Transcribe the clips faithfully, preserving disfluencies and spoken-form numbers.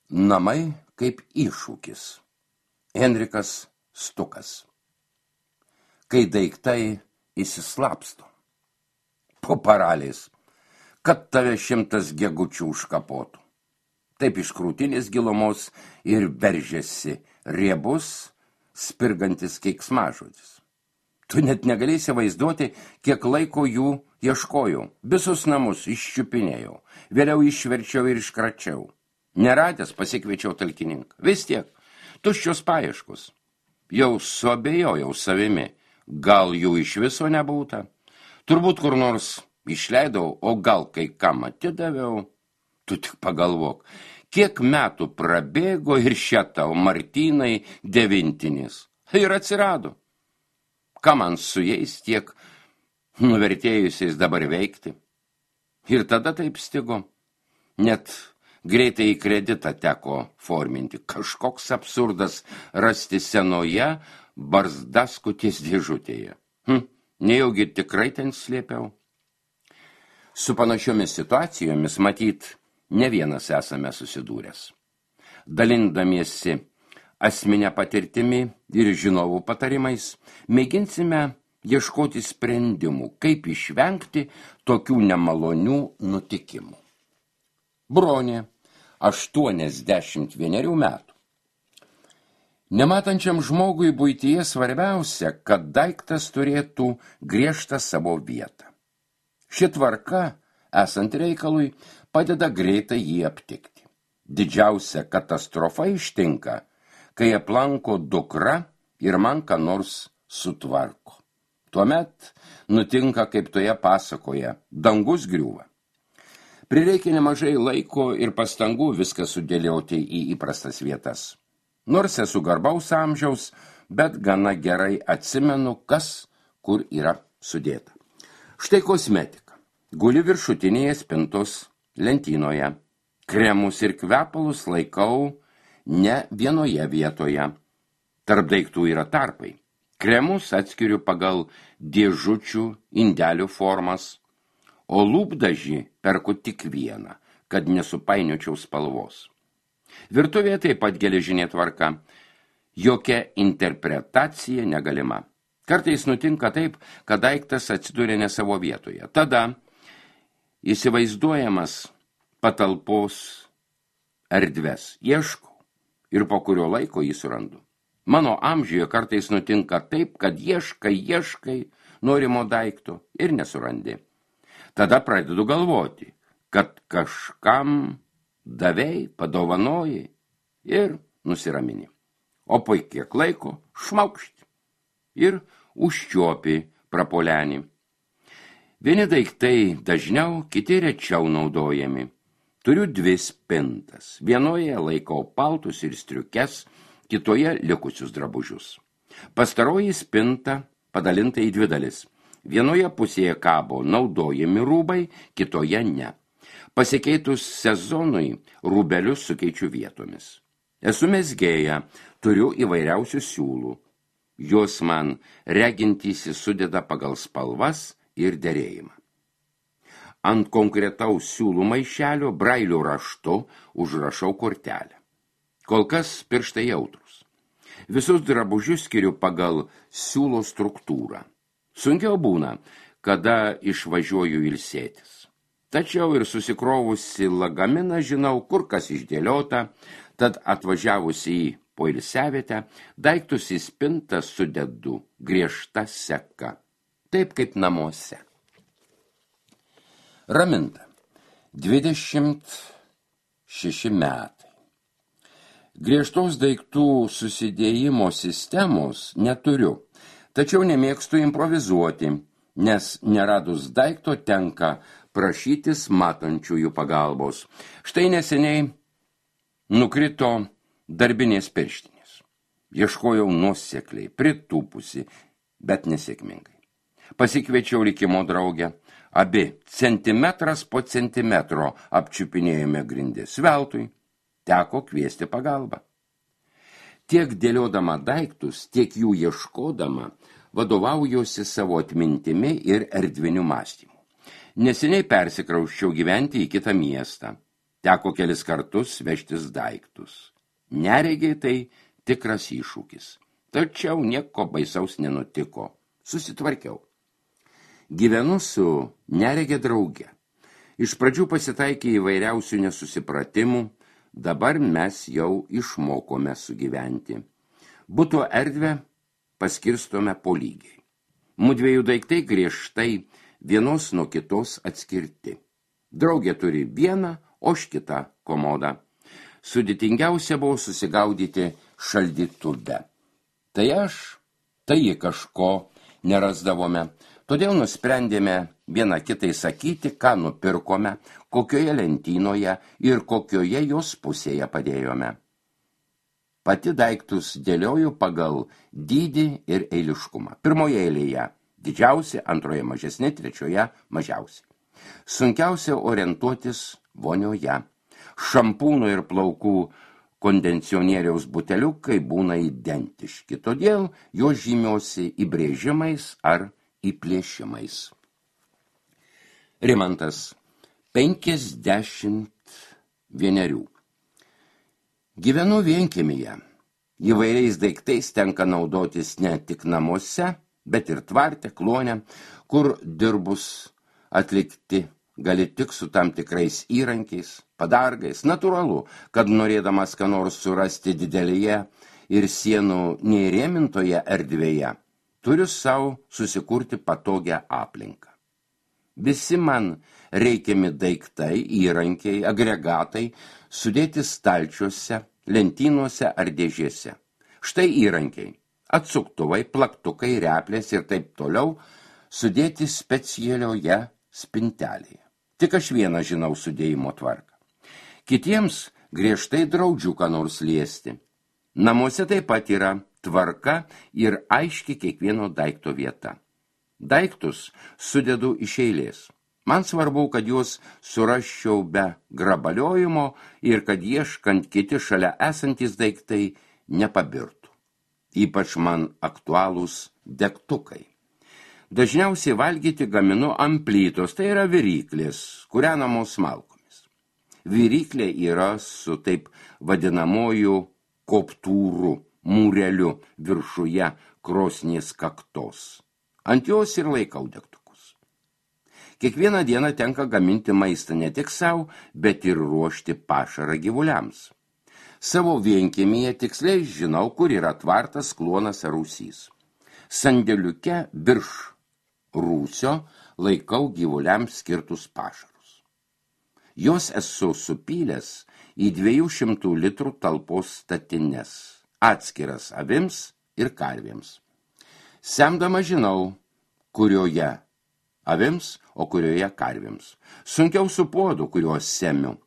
Namai kaip iššūkis. Henrikas Stukas. Kai daiktai įsislapsto. Po paraliais, kad tave šimtas gegučių užkapotų. Taip iš krūtinės gilumos ir veržėsi riebus, spirgantis keiksmažodis. Tu net negalėsi vaizduoti, kiek laiko jų ieškojau. Visus namus iščiupinėjau, vėliau išverčiau ir iškračiau. Neradęs pasikviečiau talkininką. Vis tiek, tuščios paieškos. Jau suabejojau savimi, gal jų iš viso nebūta. Turbūt kur nors išleidau, o gal kai kam atidaviau. Tu tik pagalvok, kiek metų prabėgo ir šia tau Martynai devintinis. Ir atsirado. Ką man su jais tiek nuvertėjusiais dabar veikti? Ir tada taip stigo. Net greitai į kreditą teko forminti. Kažkoks absurdas rasti senoje barzdaskutės dėžutėje. Hm, nejaugi tikrai ten slėpiau. Su panašiomis situacijomis, matyt, ne vienas esame susidūręs. Dalindamiesi asmenine patirtimi ir žinovų patarimais, mėginsime ieškoti sprendimų, kaip išvengti tokių nemalonių nutikimų. Bronė, aštuoniasdešimt vienerių metų. Nematančiam žmogui buityje svarbiausia, kad daiktas turėtų griežtą savo vietą. Ši tvarka, esant reikalui, padeda greitai jį aptikti. Didžiausia katastrofa ištinka, kai aplanko dukra ir man ką nors sutvarko. Tuomet nutinka, kaip toje pasakoje, dangus griūva. Prireikia nemažai laiko ir pastangų viską sudėlioti į įprastas vietas. Nors esu garbaus amžiaus, bet gana gerai atsimenu, kas kur yra sudėta. Štai kosmetika. Guli viršutinėje spintos lentynoje. Kremus ir kvepalus laikau ne vienoje vietoje. Tarp daiktų yra tarpai. Kremus atskiriu pagal dėžučių indelių formas, o lūpdažį perku tik vieną, kad nesupainiočiau spalvos. Virtuvėje taip pat geležinė tvarka. Jokia interpretacija negalima. Kartais nutinka taip, kad daiktas atsiduria ne savo vietoje. Tada įsivaizduojamas patalpos erdves ieškau ir po kurio laiko jį surandu. Mano amžiuje kartais nutinka taip, kad ieškai, ieškai norimo daikto ir nesurandi. Tada pradedu galvoti, kad kažkam davei, padovanojai ir nusiramini. O po kiek laiko šmaukšti ir užčiuopi prapolenį. Vieni daiktai dažniau, kiti rečiau naudojami. Turiu dvi spintas. Vienoje laikau paltus ir striukes, kitoje likusius drabužius. Pastaroji spinta padalinta į dvi dalis. Vienoje pusėje kabo naudojami rūbai, kitoje ne. Pasikeitus sezonui rūbelius sukeičiu vietomis. Esu mezgėja, turiu įvairiausių siūlų. Jos man regintysi sudeda pagal spalvas ir derėjimą. Ant konkretaus siūlų maišelio brailio raštu užrašau kortelę. Kol kas pirštai jautrus. Visus drabužius skiriu pagal siūlo struktūrą. Sunkiau būna, kada išvažiuoju ilsėtis. Tačiau ir susikrovusi lagaminą žinau, kur kas išdėliota, tad atvažiavusi į poilsiavietę, daiktus į spintą sudedu griežta seka, taip kaip namuose. Raminta, dvidešimt šeši metai. Griežtos daiktų susidėjimo sistemos neturiu, tačiau nemėgstu improvizuoti, nes neradus daikto tenka prašytis matančiųjų pagalbos. Štai neseniai nukrito darbinės pirštinės. Ieškojau nuosekliai, pritūpusi, bet nesėkmingai. Pasikviečiau likimo draugę. Abi centimetras po centimetro apčiupinėjome grindis. Veltui teko kviesti pagalbą. Tiek dėliodama daiktus, tiek jų ieškodama, vadovaujuosi savo atmintimi ir erdviniu mąstymu. Neseniai persikrausčiau gyventi į kitą miestą. Teko kelis kartus vežtis daiktus. Neregiai tai tikras iššūkis. Tačiau nieko baisaus nenutiko. Susitvarkiau. Gyvenu su neregė drauge. Iš pradžių pasitaikė įvairiausių nesusipratimų, dabar mes jau išmokome sugyventi. Buto erdvę paskirstome po lygiai. Mudviejų daiktai griežtai vienos nuo kitos atskirti. Draugė turi vieną, o aš kitą komodą. Sudėtingiausia buvo susigaudyti šaldytuve. Tai aš, tai ji kažko nerasdavome, todėl nusprendėme vieną kitai sakyti, ką nupirkome, kokioje lentynoje ir kokioje jos pusėje padėjome. Pati daiktus dėlioju pagal dydį ir eiliškumą. Pirmoje eilėje didžiausia, antroje mažesnė, trečioje mažiausia. Sunkiausia orientuotis vonioje. Šampūno ir plaukų kondicionieriaus buteliukai būna identiški, todėl jos žymiuosi įbrėžimais ar įplėšimais. Rimantas, penkiasdešimt vienerių. Gyvenu vienkiemyje. Įvairiais daiktais tenka naudotis ne tik namuose, bet ir tvarte, klone, kur dirbus atlikti gali tik su tam tikrais įrankiais, padargais. Natūralu, kad norėdamas ką nors surasti didelėje ir sienų neįrėmintoje erdvėje, turiu savo susikurti patogią aplinką. Visi man reikiami daiktai, įrankiai, agregatai sudėti stalčiuose, lentynuose ar dėžėse. Štai įrankiai, atsuktuvai, plaktukai, replės ir taip toliau sudėti specialioje spintelėje. Tik aš vieną žinau sudėjimo tvarką. Kitiems griežtai draudžiu ką nors liesti. Namuose taip pat yra tvarka ir aiški kiekvieno daikto vieta. Daiktus sudedu iš eilės. Man svarbu, kad juos surasčiau be grabaliojimo ir kad ieškant kiti šalia esantys daiktai nepabirtų. Ypač man aktualūs degtukai. Dažniausiai valgyti gaminu ant plytos, tai yra viryklės, kūrenamos malkomis. Viryklė yra su taip vadinamoju koptūru, mūreliu viršuje krosnies kaktos. Ant jos ir laikau degtukus. Kiekvieną dieną tenka gaminti maistą ne tik savo, bet ir ruošti pašarą gyvuliams. Savo vienkiemyje tiksliai žinau, kur yra tvartas, kluonas ar rūsys. Sandėliuke virš rūsio laikau gyvuliams skirtus pašarus. Jos esu supylęs į dviejų šimtų litrų talpos statines, atskiras avims ir karvėms. Semdama žinau, kurioje avims, o kurioje karvėms. Sunkiau su puodu, kuriuos semiu.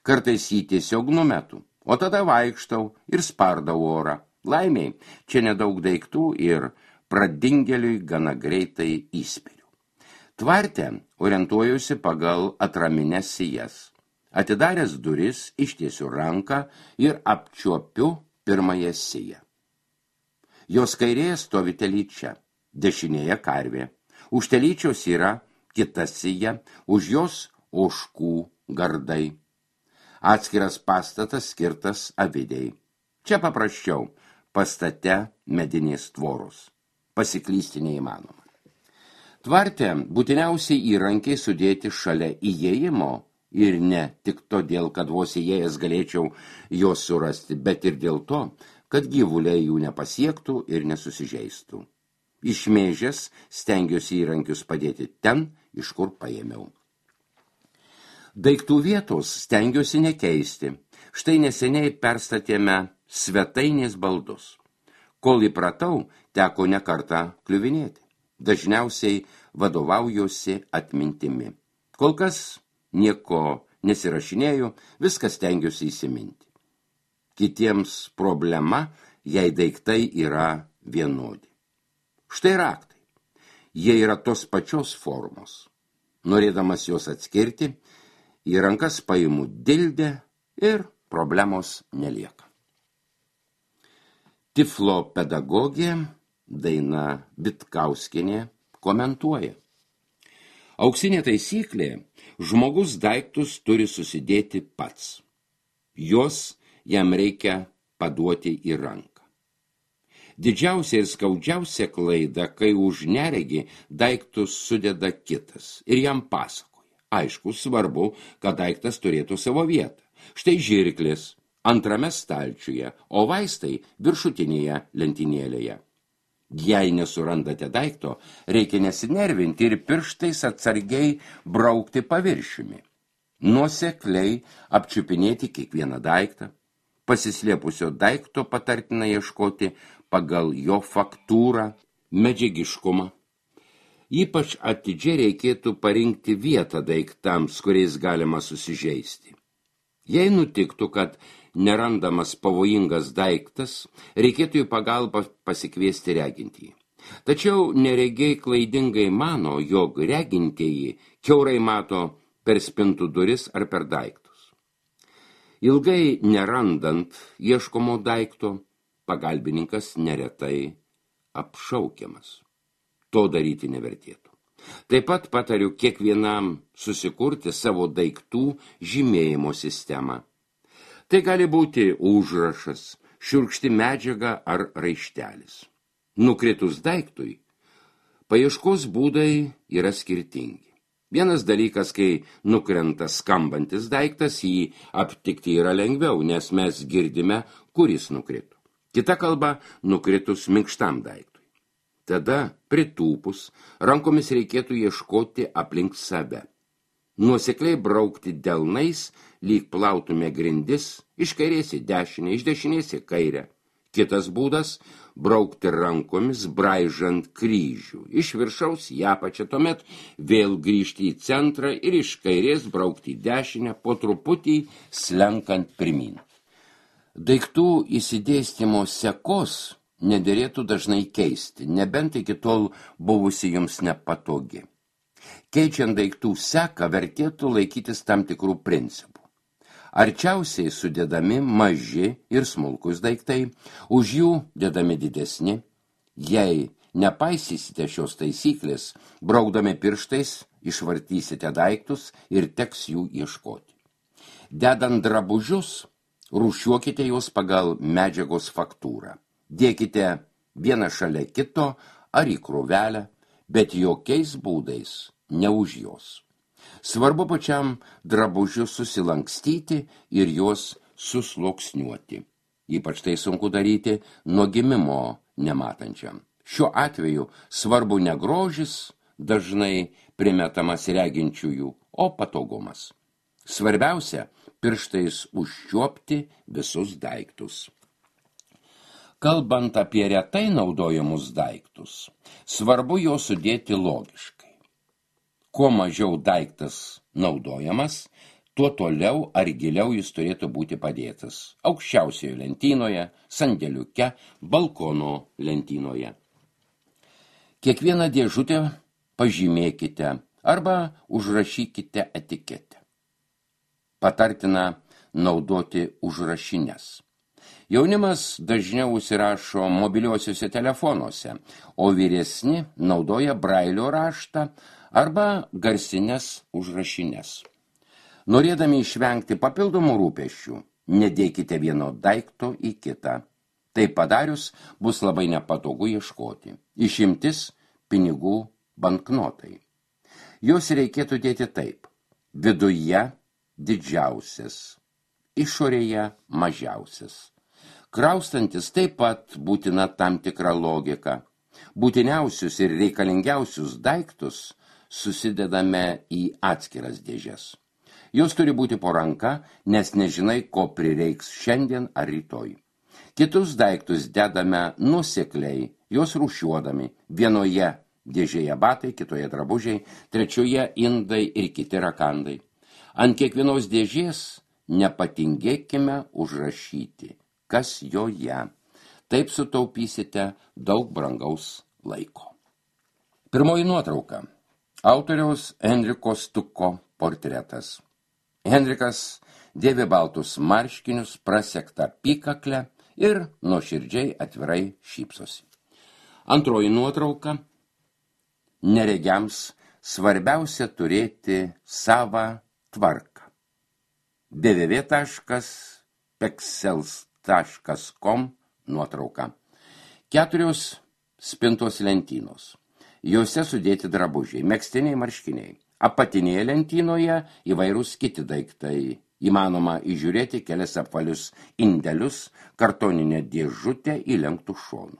Kartais jį tiesiog numetu, o tada vaikštau ir spardau orą. Laimiai, čia nedaug daiktų ir pradingėliui gana greitai įspėriu. Tvarte orientuojusi pagal atraminės sijas. Atidaręs duris, ištiesiu ranką ir apčiuopiu pirmąją siją. Jos kairėje stovi telyčia, dešinėje karvė. Už telyčios yra kita sija, už jos ožkų gardai. Atskiras pastatas skirtas avidei. Čia paprasčiau, pastate medinės tvoros. Pasiklysti neįmanoma. Tvarte būtiniausiai įrankiai sudėti šalia įėjimo ir ne tik todėl, kad vos įėjęs galėčiau juos surasti, bet ir dėl to, kad gyvuliai jų nepasiektų ir nesusižeistų. Išmėžęs stengiuosi įrankius padėti ten, iš kur paėmiau. Daiktų vietos stengiuosi nekeisti. Štai neseniai perstatėme svetainės baldus. Kol įpratau, teko ne kartą kliuvinėti. Dažniausiai vadovaujuosi atmintimi. Kol kas nieko nesirašinėju, viskas stengiuosi įsiminti. Kitiems problema, jei daiktai yra vienodi. Štai raktai. Jie yra tos pačios formos. Norėdamas juos atskirti, į rankas paimu dildę ir problemos nelieka. Tiflo pedagogė Daina Vitkauskienė komentuoja. Auksinė taisyklė – žmogus daiktus turi susidėti pats. Jos jam reikia paduoti į ranką. Didžiausia ir skaudžiausia klaida, kai už neregį daiktus sudeda kitas ir jam pasakoja. Aišku, svarbu, kad daiktas turėtų savo vietą. Štai žirklis antrame stalčiuje, o vaistai viršutinėje lentynėlėje. Jei nesurandate daikto, reikia nesinervinti ir pirštais atsargiai braukti paviršiumi. Nuosekliai apčiupinėti kiekvieną daiktą. Pasislėpusio daikto patartina ieškoti pagal jo faktūrą, medžiagiškumą. Ypač atidžiai reikėtų parinkti vietą daiktams, kuriais galima susižeisti. Jei nutiktų, kad nerandamas pavojingas daiktas, reikėtų į pagalbą pasikviesti regintįjį. Tačiau neregiai klaidingai mano, jog regintieji kiaurai mato per spintų duris ar per daiktus. Ilgai nerandant ieškomo daikto, pagalbininkas neretai apšaukiamas. To daryti nevertėtų. Taip pat patariu kiekvienam susikurti savo daiktų žymėjimo sistemą. Tai gali būti užrašas, šiurkšti medžiaga ar raištelis. Nukritus daiktui, paieškos būdai yra skirtingi. Vienas dalykas, kai nukrenta skambantis daiktas, jį aptikti yra lengviau, nes mes girdime, kuris nukrito. Kita kalba nukritus minkštam daiktui. Tada, pritūpus, rankomis reikėtų ieškoti aplink save. Nuosekliai braukti delnais, lyg plautume grindis, iš kairės į dešinę, iš dešinės į kairę. Kitas būdas – braukti rankomis, braižant kryžių. Iš viršaus į apačią, tuomet vėl grįžti į centrą ir iš kairės braukti į dešinę, po truputį slenkant pirmyn. Daiktų įsidėstymo sekos nederėtų dažnai keisti, nebent iki tol buvusi jums nepatogi. Keičiant daiktų seką vertėtų laikytis tam tikrų principų. Arčiausiai sudedami maži ir smulkus daiktai, už jų dedami didesni. Jei nepaisysite šios taisyklės, braukdami pirštais išvartysite daiktus ir teks jų ieškoti. Dedant drabužius, rūšiuokite juos pagal medžiagos faktūrą. Dėkite vieną šalia kito ar į krūvelę, bet jokiais būdais ne už jos. Svarbu pačiam drabužius susilankstyti ir juos susluoksniuoti. Ypač tai sunku daryti nuo gimimo nematančiam. Šiuo atveju svarbu ne grožis, dažnai primetamas reginčiųjų, o patogumas. Svarbiausia – pirštais užčiuopti visus daiktus. Kalbant apie retai naudojamus daiktus, svarbu jo sudėti logiškai. Kuo mažiau daiktas naudojamas, tuo toliau ar giliau jis turėtų būti padėtas. Aukščiausioje lentynoje, sandėliuke, balkono lentynoje. Kiekvieną dėžutę pažymėkite arba užrašykite etiketę. Patartina naudoti užrašines. Jaunimas dažniau užsirašo mobiliuosiuose telefonuose, o vyresni naudoja brailio raštą arba garsines užrašines. Norėdami išvengti papildomų rūpesčių, nedėkite vieno daikto į kitą. Tai padarius bus labai nepatogu ieškoti. Išimtis – pinigų banknotai. Jos reikėtų dėti taip. Viduje didžiausias, išorėje mažiausias. Kraustantis taip pat būtina tam tikra logika. Būtiniausius ir reikalingiausius daiktus susidedame į atskiras dėžes. Jos turi būti po ranka, nes nežinai, ko prireiks šiandien ar rytoj. Kitus daiktus dedame nuosekliai, juos rūšiuodami. Vienoje dėžėje batai, kitoje drabužiai, trečioje indai ir kiti rakandai. Ant kiekvienos dėžės nepatingėkime užrašyti, kas joje. Taip sutaupysite daug brangaus laiko. Pirmoji nuotrauka. Autoriaus Henriko Stuko portretas. Henrikas dėvi baltus marškinius, prasektą apykaklę ir nuoširdžiai atvirai šypsosi. Antroji nuotrauka. Neregiams svarbiausia turėti savą tvarką. w w w taškas pexels taškas com nuotrauka. Keturios spintos lentynos. Jose sudėti drabužiai, megztiniai, marškiniai. Apatinėje lentynoje įvairūs kiti daiktai. Įmanoma įžiūrėti kelias apvalius indelius, kartoninę dėžutę įlenktų šonų.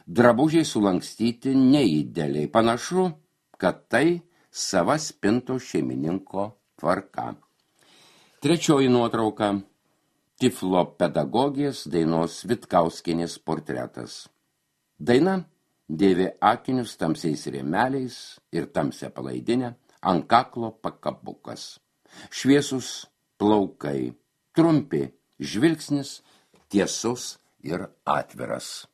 Drabužiai sulankstyti neįdėliai. Panašu, kad tai sava spinto šeimininko tvarka. Trečioji nuotrauka. Tiflo pedagogės Dainos Vitkauskienės portretas. Daina dėvi akinius tamsiais rėmeliais ir tamsią palaidinę, ant kaklo pakabukas. Šviesus plaukai, trumpi, žvilgsnis tiesus ir atviras.